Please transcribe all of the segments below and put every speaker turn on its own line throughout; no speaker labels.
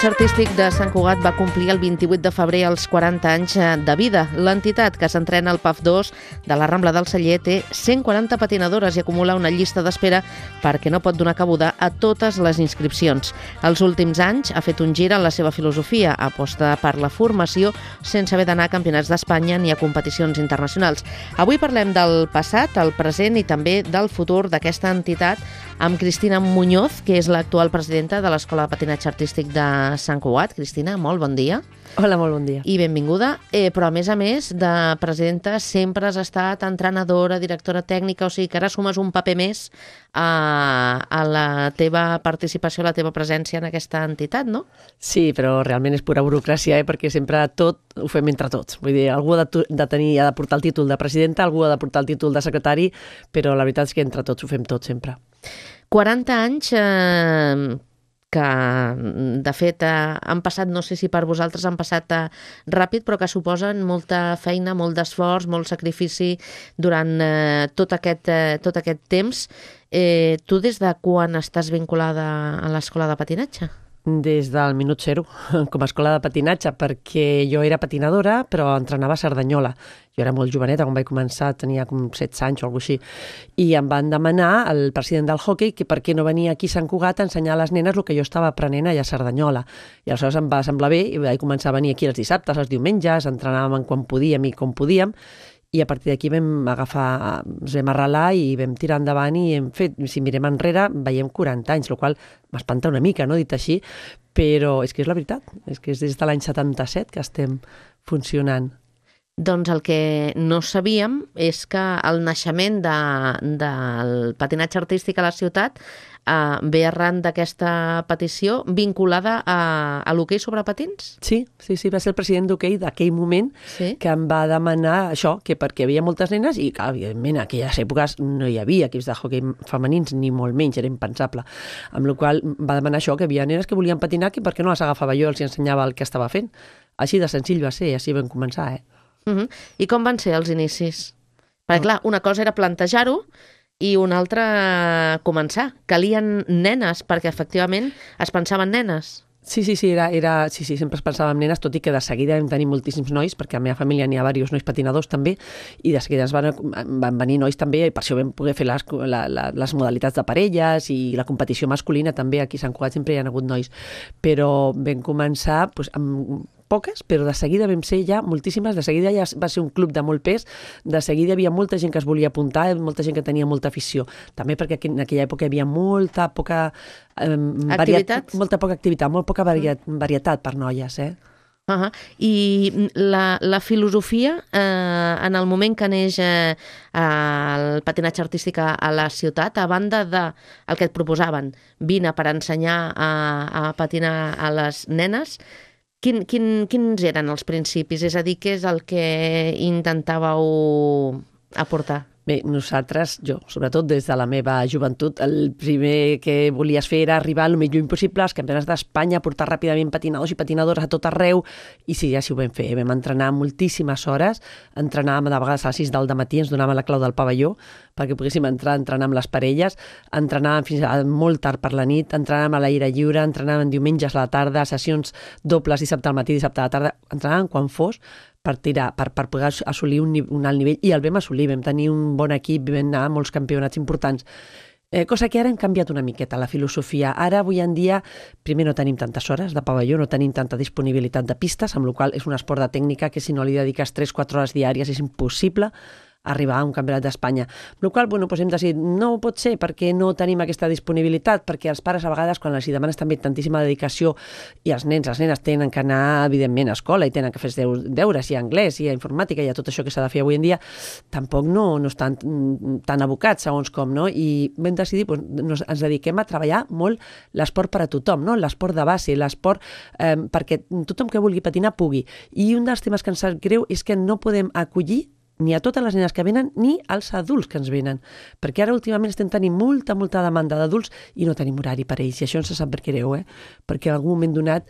patinatge artístic de Sant Cugat va complir el 28 de febrer els 40 anys de vida. L'entitat, que s'entrena al PAF 2 de la Rambla del Celler, té 140 patinadores i acumula una llista d'espera perquè no pot donar cabuda a totes les inscripcions. Els últims anys ha fet un gir en la seva filosofia, aposta per la formació sense haver d'anar a campionats d'Espanya ni a competicions internacionals. Avui parlem del passat, el present i també del futur d'aquesta entitat amb Cristina Muñoz, que és l'actual presidenta de l'Escola de Patinatge Artístic de Sant Cugat. Cristina, molt bon dia.
Hola, molt bon dia.
I benvinguda. Però, a més, de presidenta sempre has estat entrenadora, directora tècnica, o sigui que ara sumes un paper més a la teva participació, a la teva presència en aquesta entitat, no?
Sí, però realment és pura burocràcia, perquè sempre tot ho fem entre tots. Vull dir, algú ha de portar el títol de presidenta, algú ha de portar el títol de secretari, però la veritat és que entre tots ho fem tot sempre.
40 anys que, de fet, han passat, no sé si per vosaltres han passat ràpid, però que suposen molta feina, molt d'esforç, molt sacrifici durant tot aquest temps. Tu des de quan estàs vinculada a l'escola de patinatge?
Des del minut zero, com a escola de patinatge, perquè jo era patinadora, però entrenava a Cerdanyola. Jo era molt joveneta, quan vaig començar, tenia com 16 anys o alguna cosa així, i em van demanar, el president del hoquei, que per què no venia aquí a Sant Cugat a ensenyar a les nenes el que jo estava aprenent allà a Cerdanyola. I aleshores em va semblar bé i vaig començar a venir aquí els dissabtes, els diumenges, entrenàvem quan podíem i com podíem, i a partir d'aquí ens vam arrelar i vam tirar endavant i hem fet, si mirem enrere, veiem 40 anys, el qual m'espanta una mica, no, dit així, però és que és la veritat, és que és des de l'any 77 que estem funcionant.
Doncs el que no sabíem és que el naixement del patinatge artístic a la ciutat ve arran d'aquesta petició vinculada a l'hoquei sobre patins?
Sí, va ser el president d'hoquei d'aquell moment que em va demanar això, que perquè hi havia moltes nenes i, clar, evidentment, en aquelles èpoques no hi havia equips de hoquei femenins, ni molt menys, era impensable. Amb la qual va demanar això, que hi havia nenes que volien patinar, que per què no les agafava jo, els ensenyava el que estava fent. Així de senzill va ser, així vam començar,
I com van ser els inicis? Perquè, clar, una cosa era plantejar-ho i una altra començar. Calien nenes, perquè efectivament es pensaven nenes.
Sí, sempre es pensava en nenes, tot i que de seguida vam tenir moltíssims nois, perquè a la meva família n'hi ha diversos nois patinadors també, i de seguida van venir nois també, i per això vam poder fer les modalitats de parelles i la competició masculina també. Aquí a Sant Cugat sempre hi ha hagut nois, però vam començar amb poques, però de seguida vam ser ja moltíssimes, de seguida ja va ser un club de molt pes, de seguida hi havia molta gent que es volia apuntar, molta gent que tenia molta afició, també perquè en aquella època hi havia molt poca activitat, molt poca varietat per noies,
I la filosofia, en el moment que neix el patinatge artístic a la ciutat, a banda del que et proposaven, vine per ensenyar a patinar a les nenes, quins eren els principis? És a dir, què és el que intentàveu aportar?
Bé, nosaltres, jo, sobretot des de la meva joventut, el primer que volies fer era arribar al més lluny possible als campionats d'Espanya, portar ràpidament patinadors i patinadores a tot arreu, i sí, ja ho vam fer. Vam entrenar moltíssimes hores, entrenàvem de vegades a les 6 del matí, ens donaven la clau del pavelló perquè poguéssim entrenar amb les parelles, entrenàvem fins a molt tard per la nit, entrenàvem a l'aire lliure, entrenàvem diumenges a la tarda, sessions dobles dissabte al matí, dissabte a la tarda, entrenàvem quan fos, per poder assolir un alt nivell, i el vam assolir, vam tenir un bon equip, vam anar a molts campionats importants. Cosa que ara hem canviat una miqueta, la filosofia. Ara, avui en dia, primer no tenim tantes hores de pavelló, no tenim tanta disponibilitat de pistes, amb la qual és un esport de tècnica que si no li dediques 3-4 hores diàries és impossible arribar a un campionat d'Espanya. Amb la qual cosa hem decidit, no pot ser perquè no tenim aquesta disponibilitat, perquè els pares a vegades, quan els demanes també tantíssima dedicació, i els nens, les nenes tenen que anar, evidentment, a escola i tenen que fer deures, i a anglès, i a informàtica, i a tot això que s'ha de fer avui en dia, tampoc no estan tan abocats, segons com, no? I vam decidir, ens dediquem a treballar molt l'esport per a tothom, no? L'esport de base, l'esport perquè tothom que vulgui patinar pugui. I un dels temes que ens sap greu és que no podem acollir ni a totes les nenes que venen ni als adults que ens venen, perquè ara últimament estem tenint molta demanda d'adults i no tenim horari per ells, i això ens sap per greu, perquè en algun moment donat,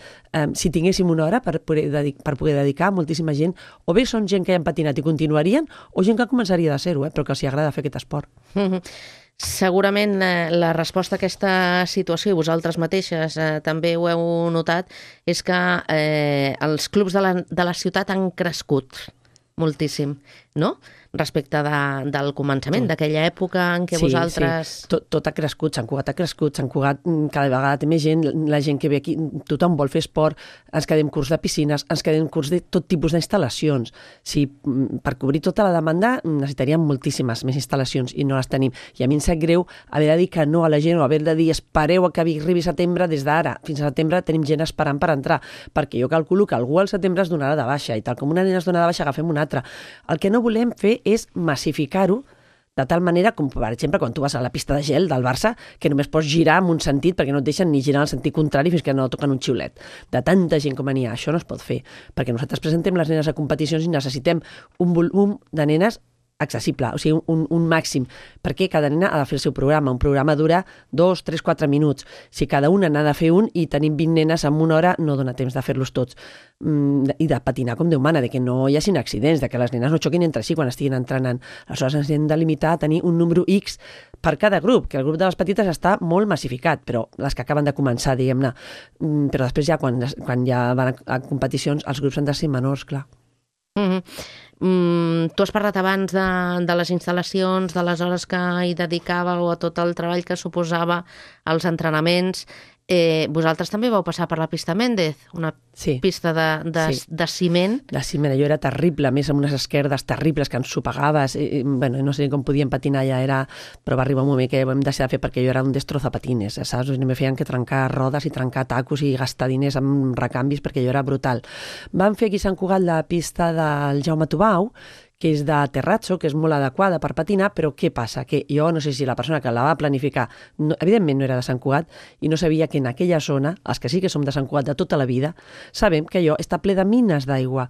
si tinguéssim una hora per poder dedicar moltíssima gent, o bé són gent que ja han patinat i continuarien, o gent que començaria de zero, però que els agrada fer aquest esport.
Segurament la resposta a aquesta situació, i vosaltres mateixes també ho heu notat, és que els clubs de la ciutat han crescut moltíssim, no? Respecte del començament, d'aquella època en què vosaltres...
Sí, tot ha crescut, Sant Cugat ha crescut, Sant Cugat cada vegada té més gent, la gent que ve aquí, tothom vol fer esport, ens quedem curs de piscines, ens quedem curs de tot tipus d'instal·lacions. Sí, per cobrir tota la demanda necessitaríem moltíssimes més instal·lacions i no les tenim. I a mi em sap greu haver de dir que no a la gent o haver de dir espereu que arribi setembre, des d'ara fins a setembre tenim gent esperant per entrar, perquè jo calculo que algú al setembre es donarà de baixa i tal com una nena es dona de baixa agafem una altra. El que no volem fer és massificar-ho de tal manera com, per exemple, quan tu vas a la pista de gel del Barça, que només pots girar en un sentit perquè no et deixen ni girar en el sentit contrari fins que no toquen un xiulet. De tanta gent com n'hi ha, això no es pot fer, perquè nosaltres presentem les nenes a competicions i necessitem un volum de nenes accessible, o sigui, un màxim, perquè cada nena ha de fer el seu programa. Un programa dura 2, 3, 4 minuts. Si cada una n'ha de fer un i tenim 20 nenes en una hora, no dona temps de fer-los tots. I de patinar com Déu mana, de que no hi hagin accidents, de que les nenes no xoquin entre si quan estiguin entrenant. Aleshores ens hem de limitar a tenir un número X per cada grup, que el grup de les petites està molt massificat, però les que acaben de començar, diguem-ne. Però després ja, quan ja van a competicions, els grups han de ser menors, clar.
Tu has parlat abans de les instal·lacions, de les hores que hi dedicàveu, a tot el treball que suposava els entrenaments. Vosaltres també vau passar per la pista Méndez, una pista de ciment.
De ciment, allò era terrible, a més amb unes esquerdes terribles que ens sopegaves, bueno, no sé com podíem patinar ja però va arribar un moment que ho hem deixat de fer perquè jo era un destrozapatines, saps? Me feien que trencar rodes i trencar tacos i gastar diners en recanvis perquè jo era brutal. Vam fer aquí a Sant Cugat la pista del Jaume Tubau, que és de terrazzo, que és molt adequada per patinar, però què passa? Que jo no sé si la persona que la va planificar, evidentment no era de Sant Cugat, i no sabia que en aquella zona, els que sí que som de Sant Cugat de tota la vida, sabem que allò està ple de mines d'aigua,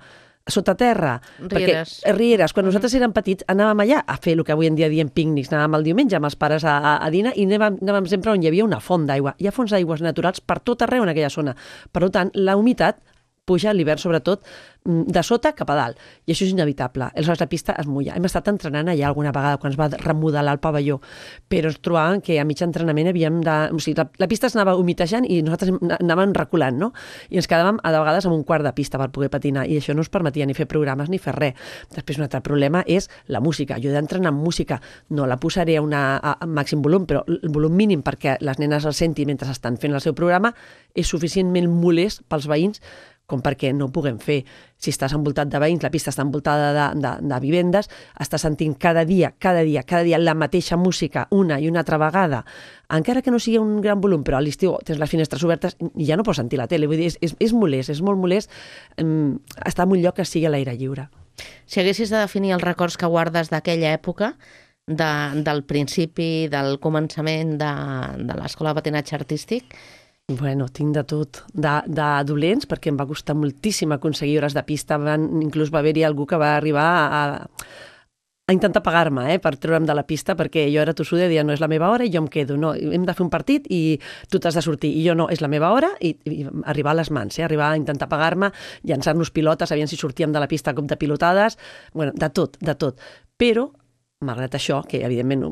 sota terra. Rieres. Quan nosaltres érem petits anàvem allà a fer el que avui en dia diem pícnics, anàvem el diumenge amb els pares a dinar i anàvem sempre on hi havia una font d'aigua. Hi ha fonts d'aigües naturals per tot arreu en aquella zona. Per tant, la humitat puja a l'hivern, sobretot, de sota cap a dalt. I això és inevitable. Aleshores, la pista es mulla. Hem estat entrenant allà alguna vegada quan es va remodelar el pavelló, però ens trobàvem que a mig entrenament havíem de... O sigui, la pista es anava humitejant i nosaltres anàvem reculant, no? I ens quedàvem a vegades amb un quart de pista per poder patinar i això no ens permetia ni fer programes ni fer res. Després, un altre problema és la música. Jo he d'entrenar amb música. No la posaré a màxim volum, però el volum mínim perquè les nenes el sentin mentre estan fent el seu programa és suficientment molest pels veïns com perquè no ho puguem fer. Si estàs envoltat de veïns, la pista està envoltada de vivendes, estàs sentint cada dia la mateixa música una i una altra vegada, encara que no sigui un gran volum, però a l'estiu tens les finestres obertes i ja no pots sentir la tele. Vull dir, és molest, és molt molest estar en un lloc que sigui a l'aire lliure.
Si haguessis de definir els records que guardes d'aquella època, del principi, del començament de l'escola de patinatge artístic,
Bueno, tinc de tot. De dolents, perquè em va costar moltíssim aconseguir hores de pista. Inclús va haver-hi algú que va arribar a intentar pagar-me per treure'm de la pista, perquè jo era tossuda i deia, no, és la meva hora i jo em quedo. No, hem de fer un partit i tu t'has de sortir. I jo no, és la meva hora i arribar a les mans, arribar a intentar pagar-me, llançar-nos pilotes, aviam si sortíem de la pista a cop de pilotades, bueno, de tot. Però, malgrat això, que evidentment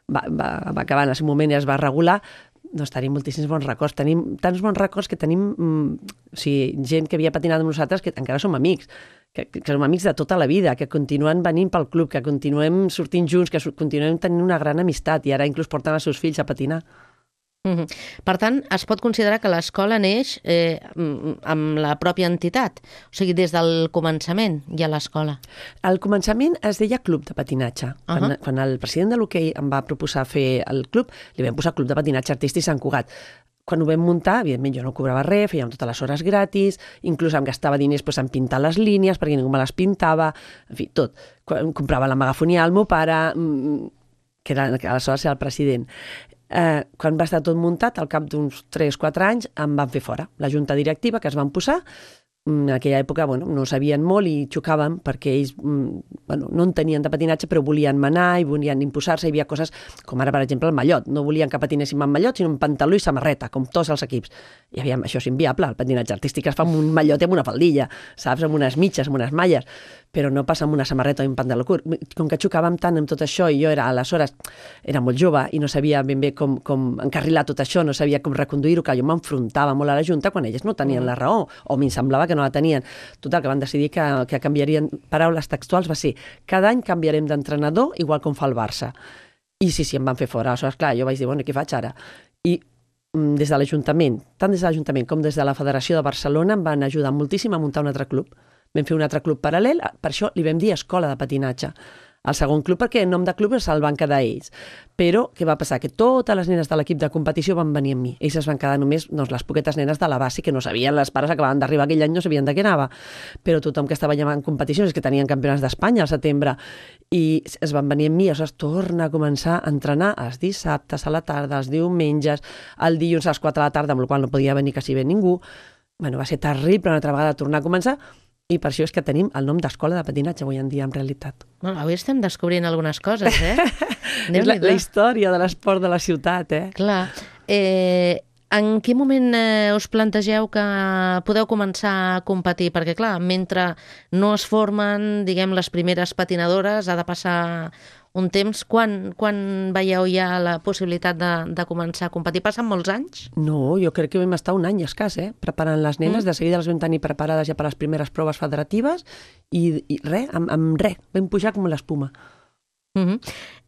va acabar en el seu moment i es va regular, doncs tenim moltíssims bons records. Tenim tants bons records que tenim gent que havia patinat amb nosaltres que encara som amics, que som amics de tota la vida, que continuen venint pel club, que continuem sortint junts, que continuem tenint una gran amistat i ara inclús porten els seus fills a patinar.
Per tant, es pot considerar que l'escola neix amb la pròpia entitat, o sigui, des del començament ja a l'escola.
Al començament es deia Club de Patinatge. Quan el president de l'hoquei em va proposar fer el club, li vam posar Club de Patinatge Artístic Sant Cugat. Quan ho vam muntar, evidentment jo no cobrava res, fèiem totes les hores gratis, inclús em gastava diners en pintar les línies perquè ningú me les pintava, en fi, tot. Comprava la megafonia al meu pare, que aleshores era el president. Quan va estar tot muntat, al cap d'uns 3-4 anys, em van fer fora. La junta directiva que es van posar en aquella època no sabien molt i xocàvem perquè ells no en tenien de patinatge però volien manar i volien imposar-se. Hi havia coses com ara, per exemple, el mallot. No volien que patinéssim amb mallot, sinó amb pantaló i samarreta, com tots els equips. I això és inviable. El patinatge artístic es fa amb un mallot i amb una faldilla, saps? Amb unes mitges, amb unes malles, però no passa amb una samarreta o un pantaló curt. Com que xocàvem tant amb tot això i jo aleshores era molt jove i no sabia ben bé com encarrilar tot això, no sabia com reconduir-ho, que jo m'enfrontava molt a la Junta quan ells no tenien la raó, o m'hi semblava que no la tenien. Total, que van decidir que canviarien, paraules textuals, va ser: cada any canviarem d'entrenador igual com fa el Barça. I sí, em van fer fora. Aleshores, clar, jo vaig dir, què faig ara? I des de l'Ajuntament, tant des de l'Ajuntament com des de la Federació de Barcelona, em van ajudar moltíssim a muntar un altre club. Vam fer un altre club paral·lel, per això li vam dir Escola de Patinatge. El segon club, perquè el nom de club se'l van quedar ells. Però què va passar? Que totes les nenes de l'equip de competició van venir amb mi. Ells es van quedar només les poquetes nenes de la base, que no sabien, les pares acabaven d'arribar aquell any, no sabien de què anava. Però tothom que estava allà en competicions, que tenien campionats d'Espanya al setembre, i es van venir amb mi, es torna a començar a entrenar els dissabtes a la tarda, els diumenges, el dilluns a les 4 de la tarda, amb el qual no podia venir quasi bé ningú. Va ser terrible una altra vegada tornar a començar. I per això és que tenim el nom d'Escola de Patinatge avui en dia, en realitat.
Avui estem descobrint algunes coses,
És la història de l'esport de la ciutat,
Clar. En quin moment us plantegeu que podeu començar a competir? Perquè, clar, mentre no es formen, diguem, les primeres patinadores, ha de passar un temps. Quan veieu ja la possibilitat de començar a competir? Passen molts anys?
No, jo crec que vam estar un any escàs, preparant les nenes. De seguida les vam tenir preparades ja per les primeres proves federatives i res, amb res. Vam pujar com l'espuma.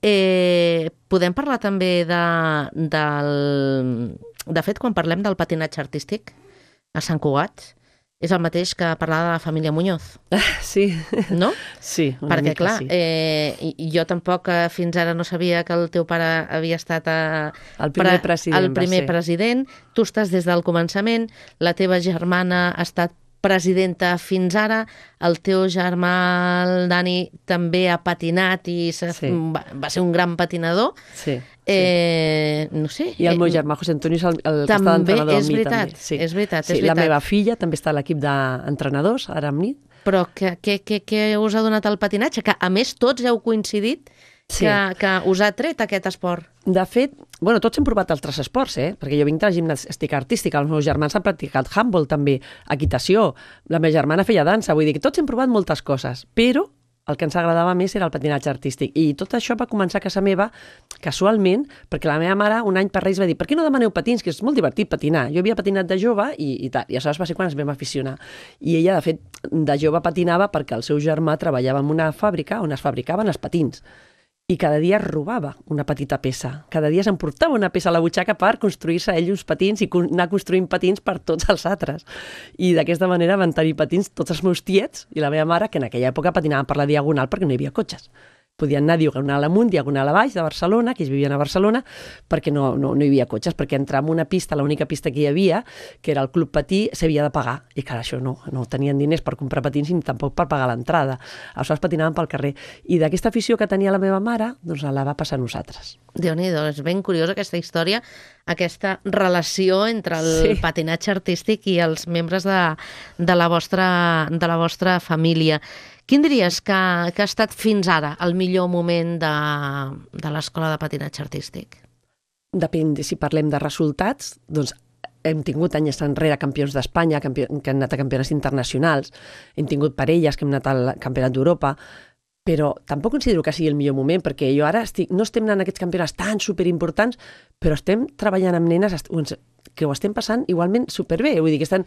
Podem parlar també de fet, quan parlem del patinatge artístic a Sant Cugat, és el mateix que parlar de la família Muñoz.
Sí.
No?
Sí,
perquè, clar, sí. Jo tampoc fins ara no sabia que el teu pare havia estat
el primer president.
Tu estàs des del començament, la teva germana ha estat presidenta fins ara, el teu germà, el Dani, també ha patinat i va ser un gran patinador.
Sí.
No sé.
I el meu germà José Antonio és el que està d'entrenador amb mi. També.
És veritat.
La meva filla també està a l'equip d'entrenadors, ara amb mi.
Però què us ha donat el patinatge? Que a més tots heu coincidit que us ha tret aquest esport.
De fet, tots hem provat altres esports, perquè jo vinc de la gimnàstica artística, els meus germans han practicat handball també, equitació, la meva germana feia dansa, vull dir que tots hem provat moltes coses, però el que ens agradava més era el patinatge artístic. I tot això va començar a casa meva, casualment, perquè la meva mare un any per Reis va dir: per què no demaneu patins, que és molt divertit patinar. Jo havia patinat de jove i tal, i aleshores va ser quan ens vam aficionar. I ella, de fet, de jove patinava perquè el seu germà treballava en una fàbrica on es fabricaven els patins. I cada dia robava una petita peça. Cada dia s'emportava una peça a la butxaca per construir-se ell uns patins i anar construint patins per tots els altres. I d'aquesta manera van tenir patins tots els meus tiets i la meva mare, que en aquella època patinaven per la Diagonal perquè no hi havia cotxes. Podien anar diagonal amunt, diagonal a baix de Barcelona, que ells vivien a Barcelona, perquè no hi havia cotxes, perquè entrar en una pista, l'única pista que hi havia, que era el Club Patí, s'havia de pagar. I clar, això no tenien diners per comprar patins ni tampoc per pagar l'entrada. Aleshores patinaven pel carrer. I d'aquesta afició que tenia la meva mare, doncs la va passar a nosaltres.
Déu-n'hi-do, és ben curiosa aquesta història, aquesta relació entre el patinatge artístic i els membres de la vostra família. Quin diries que ha estat fins ara el millor moment de l'escola de patinatge artístic?
Depèn, si parlem de resultats, doncs hem tingut anys enrere campions d'Espanya, que han anat a campionats internacionals, hem tingut parelles que hem anat al Campionat d'Europa, però tampoc considero que sigui el millor moment, perquè jo ara no estem anant a aquests campionats tan superimportants, però estem treballant amb nenes que ho estem passant igualment superbé. Vull dir que estan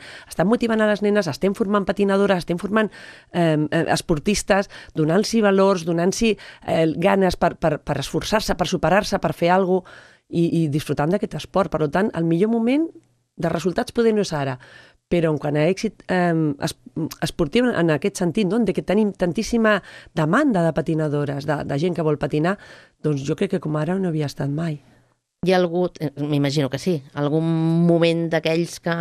motivant a les nenes, estem formant patinadores, estem formant esportistes, donant-s'hi valors, donant-s'hi ganes per esforçar-se, per superar-se, per fer alguna cosa i disfrutant d'aquest esport. Per tant, el millor moment de resultats poder no és ara, però en quant a èxit esportiu en aquest sentit, de que tenim tantíssima demanda de patinadores, de gent que vol patinar, doncs jo crec que com ara no havia estat mai.
Hi ha hagut, m'imagino que sí, algun moment d'aquells que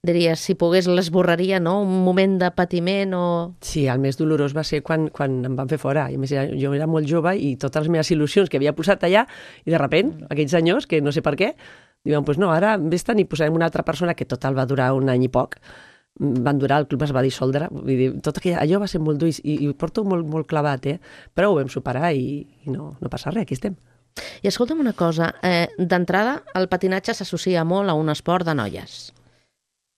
diries, si pogués l'esborraria, no? Un moment de patiment o...
Sí, el més dolorós va ser quan em van fer fora. I a més, jo era molt jove i totes les meves il·lusions que havia posat allà, i de sobte, aquells senyors, que no sé per què, diuen, doncs no, ara vés-te'n i posarem una altra persona, que total va durar un any i poc, van durar, el club es va dissoldre, vull dir, tot allò va ser molt dur i ho porto molt, molt clavat, però ho vam superar i no passa res, aquí estem.
I escolta'm una cosa, d'entrada el patinatge s'associa molt a un esport de noies.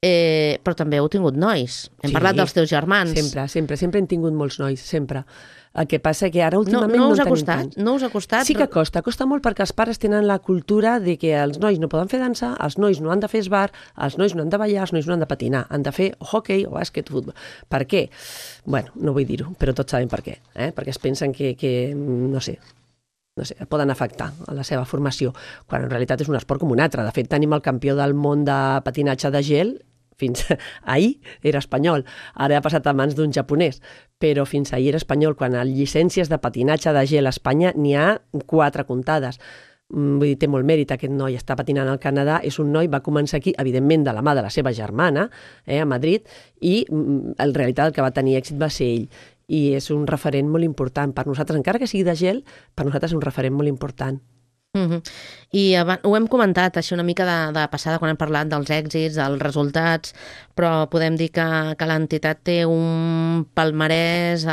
Però també heu tingut nois. Hem parlat dels teus germans.
Sempre hem tingut molts nois, sempre. El que passa que ara últimament no en tenim tants.
No us ha costat?
Sí que costa molt perquè els pares tenen la cultura de que els nois no poden fer dansa, els nois no han de fer esbar, els nois no han de ballar, els nois no han de patinar, han de fer hockey o bàsquet, futbol. Per què? Bueno, no vull dir-ho, però tots sabem per què. Perquè es pensen que no sé, poden afectar a la seva formació, quan en realitat és un esport com un altre. De fet, tenim el campió del món de patinatge de gel, fins ahir era espanyol, ara ha passat a mans d'un japonès, però fins ahir era espanyol. Quan a llicències de patinatge de gel a Espanya n'hi ha 4 comptades. Vull dir, té molt mèrit, aquest noi està patinant al Canadà, és un noi, va començar aquí, evidentment de la mà de la seva germana, a Madrid, i en realitat el que va tenir èxit va ser ell. I és un referent molt important per nosaltres, encara que sigui de gel, per nosaltres és un referent molt important.
I ho hem comentat així una mica de passada quan hem parlat dels èxits, dels resultats, però podem dir que l'entitat té un palmarès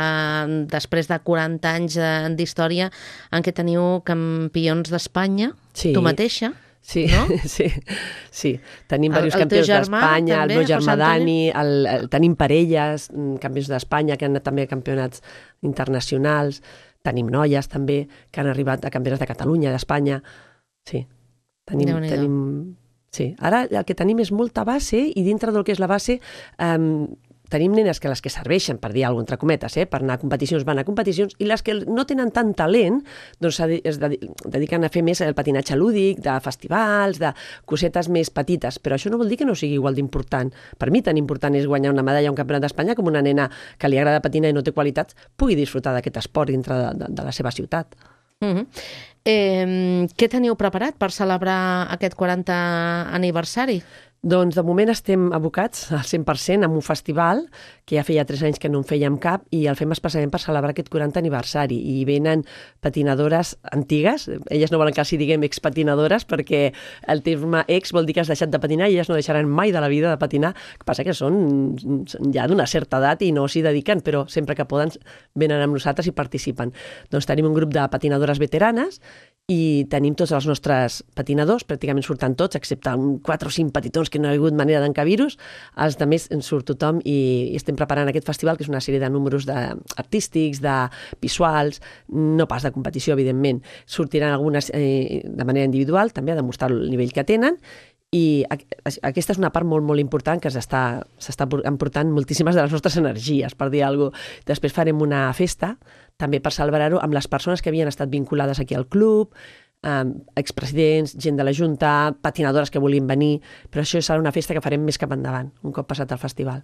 després de 40 anys d'història en què teniu campions d'Espanya, tu mateixa.
Sí,
no?
sí. Tenim diversos campions d'Espanya, el meu germà Dani, tenim parelles, campions d'Espanya que han anat també a campionats internacionals, tenim noies també que han arribat a campionats de Catalunya, d'Espanya. Sí, tenim. Sí. Ara el que tenim és molta base i dintre del que és la base tenim nenes que les que serveixen, per dir alguna cosa, entre cometes, per anar a competicions, van a competicions, i les que no tenen tant talent, doncs es dediquen a fer més el patinatge lúdic, de festivals, de cosetes més petites, però això no vol dir que no sigui igual d'important. Per mi tan important és guanyar una medalla a un campionat d'Espanya com una nena que li agrada patinar i no té qualitats pugui disfrutar d'aquest esport dintre de la seva ciutat.
Què teniu preparat per celebrar aquest 40 aniversari?
Doncs de moment estem abocats al 100% en un festival que ja feia 3 anys que no en fèiem cap i el fem especialment per celebrar aquest 40 aniversari i venen patinadores antigues, elles no volen que els diguem expatinadores perquè el terme ex vol dir que has deixat de patinar i elles no deixaran mai de la vida de patinar, el que passa que són ja d'una certa edat i no s'hi dediquen, però sempre que poden venen amb nosaltres i participen. Doncs tenim un grup de patinadores veteranes i tenim tots els nostres patinadors, pràcticament surten tots, excepte 4 o 5 petitons que no ha hagut manera d'encabir-los, els altres en surt tothom i estem preparant aquest festival, que és una sèrie de números artístics, de visuals, no pas de competició, evidentment. Sortiran algunes de manera individual, també a demostrar el nivell que tenen, i aquesta és una part molt, molt important que s'està emportant moltíssimes de les nostres energies, per dir alguna cosa. Després farem una festa, també per celebrar-ho, amb les persones que havien estat vinculades aquí al club, expresidents, gent de la Junta, patinadores que volien venir, però això serà una festa que farem més cap endavant, un cop passat el festival.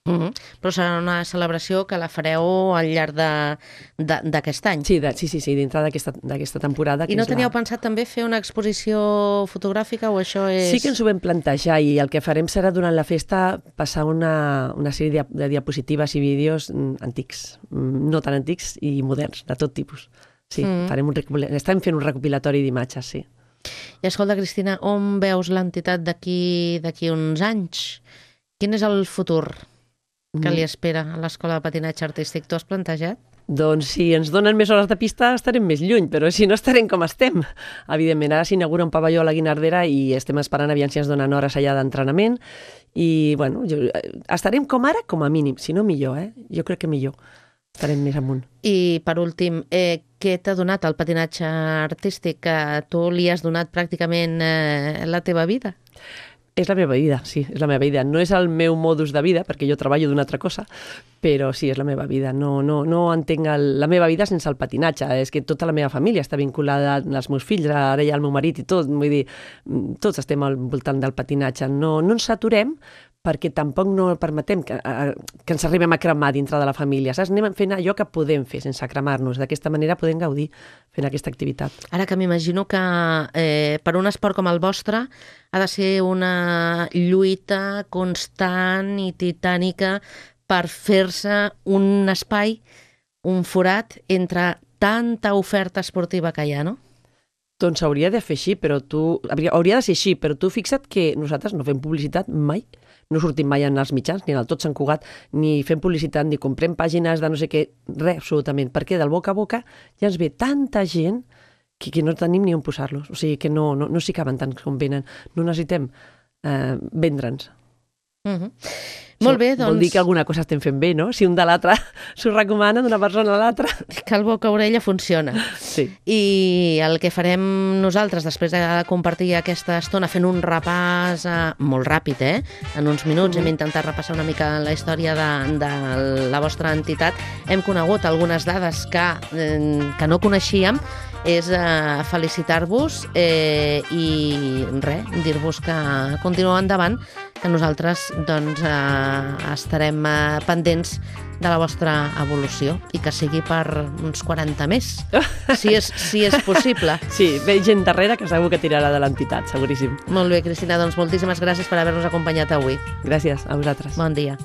Però serà una celebració que la fareu al llarg d'aquest any.
Sí, dintre d'aquesta temporada.
I no teníeu pensat també fer una exposició fotogràfica o això és...
Sí que ens ho vam plantejar i el que farem serà durant la festa passar una sèrie de diapositives i vídeos antics, no tan antics i moderns, de tot tipus. Sí, estem fent un recopilatori d'imatges, sí.
I escolta, Cristina, on veus l'entitat d'aquí uns anys? Quin és el futur que li espera a l'Escola de Patinatge Artístic? T'ho has plantejat?
Doncs si ens donen més hores de pista estarem més lluny, però si no estarem com estem. Evidentment, ara s'inaugura un pavelló a la Guinardera i estem esperant aviam si ens donen hores allà d'entrenament i, bueno, estarem com ara, com a mínim, si no millor, Jo crec que millor. Estarem més amunt.
I, per últim, què t'ha donat el patinatge artístic? Que tu li has donat pràcticament la teva vida?
És la meva vida, sí, és la meva vida. No és el meu modus de vida, perquè jo treballo d'una altra cosa, però sí, és la meva vida. No entenc la meva vida sense el patinatge. És que tota la meva família està vinculada als meus fills, ara hi ha el meu marit i tot. Vull dir, tots estem al voltant del patinatge. No ens saturem, perquè tampoc no permetem que ens arribem a cremar dintre de la família. Saps? Anem fent allò que podem fer sense cremar-nos. D'aquesta manera podem gaudir fent aquesta activitat.
Ara que m'imagino que per un esport com el vostre ha de ser una lluita constant i titànica per fer-se un espai, un forat entre tanta oferta esportiva que hi ha, no?
Doncs hauria de ser així, però tu fixa't que nosaltres no fem publicitat mai. no sortim mai en els mitjans, ni en el Tot Sant Cugat, ni fem publicitat, ni comprem pàgines de no sé què, res, absolutament, perquè del boca a boca ja ens ve tanta gent que no tenim ni on posar-los, o sigui que no s'hi caben tant com venen, no necessitem vendre'ns.
Molt bé, doncs...
Vol dir que alguna cosa estem fent bé, no? Si un de l'altre s'ho recomana d'una persona a l'altra.
Que el boca-orella funciona.
Sí.
I el que farem nosaltres, després de compartir aquesta estona fent un repàs molt ràpid, en uns minuts, hem intentat repassar una mica la història de la vostra entitat. Hem conegut algunes dades que no coneixíem, és felicitar-vos i res, dir-vos que continueu endavant, que nosaltres doncs, estarem pendents de la vostra evolució i que sigui per uns 40 més, si és possible.
Sí, ve gent darrere que segur que tirarà de l'entitat, seguríssim.
Molt bé, Cristina, doncs moltíssimes gràcies per haver-nos acompanyat avui.
Gràcies a vosaltres.
Bon dia.